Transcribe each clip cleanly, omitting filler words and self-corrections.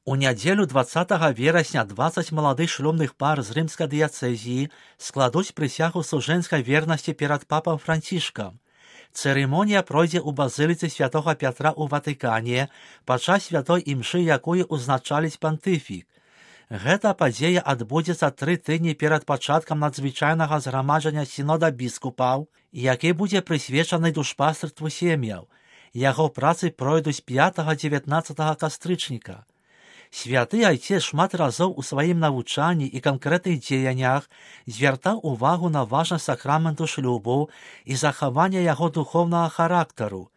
У нядзелю 20 верасня 20 маладых шлюбных пар з рымскай дыяцэзіі складуць прысягу сужэнскай вернасці перад папам Францішкам. Цырымонія пройдзе ў базыліцы святога Пятра ў Ватыкане падчас святой імшы, якую ўзначаліць пантыфік. Гэта падзея адбудзецца 3 тыдні перад пачаткам надзвычайнага зграмаджання сінода біскупаў, які будзе прысвечаны душпастырству сем'яў. Яго працы пройдуць 5-19 кастрычніка. Святы Айцец шмат разоў у сваім навучанні і канкрэтных дзеяннях звяртаў увагу на важнасць сакраменту шлюбу і захавання яго духоўнага характару.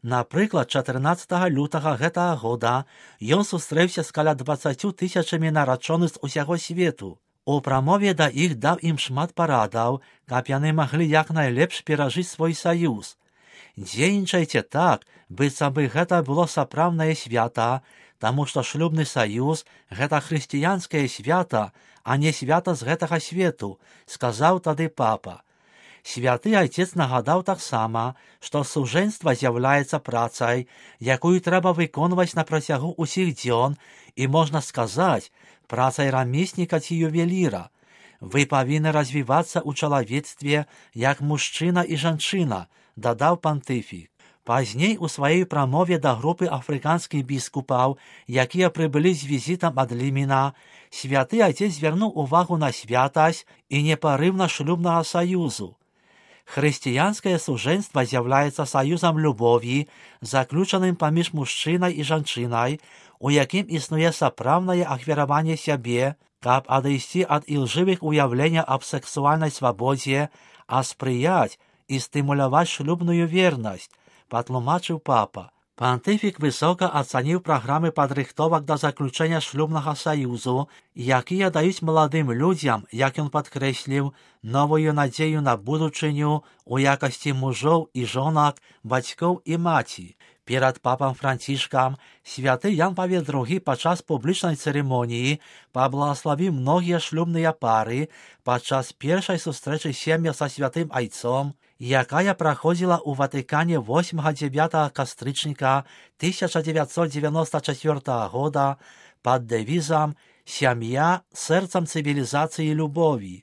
Напрыклад, 14 лютага гэтага года ён сустрэўся з каля 20 000 нарачоных з усяго свету. У прамове да іх даў ім шмат парадаў, каб яны маглі як найлепш перажыць свой саюз. Дзейнічайце так, быццам бы гэта было сапраўднае свята, таму што шлюбны саюз – гэта хрысціянскае свята, а не свята з гэтага свету, сказаў тады папа. Святы Айцец нагадаў таксама, што сужэнства з'яўляецца працай, якую трэба выконваць на працягу ўсіх дзён і, можна сказаць, працай рамесніка ці ювеліра. Вы павінны развівацца ў чалавецтве як мужчына і жанчына, дадаў пантыфік. Пазней у сваёй прамове да групы афрыканскіх біскупаў, якія прыбылі з візітам ад Лімена, святы Айцец звярнуў увагу на святасць і непарыўнасць шлюбнага саюзу. Хрысціянскае сужэнства з'яўляецца саюзам любові, заключаным паміж мужчынай і жанчынай, у якім існуе сапраўднае ахвяраванне сябе, каб адысці ад ілжывых уяўленняў аб сексуальнай свабодзе, а спрыяць і стымуляваць шлюбную вернасць, патлумачыў папа. Пантыфік высока ацаніў праграмы падрыхтовак да заключэння шлюбнага саюзу, якія даюць маладым людзям, як ён падкрэсліў, новую надзею на будучыню у якасці мужоў і жонак, бацькоў і маці. Перад папам Францішкам святы Ян Павел II падчас публічнай цырымоніі паблагаславіў многія шлюбныя пары падчас першай сустрэчы сем'я са святым Айцом, якая праходзіла ў Ватыкане 8-9 кастрычніка 1994 года пад дэвізам «Сям'я сэрцам цывілізацыі любові».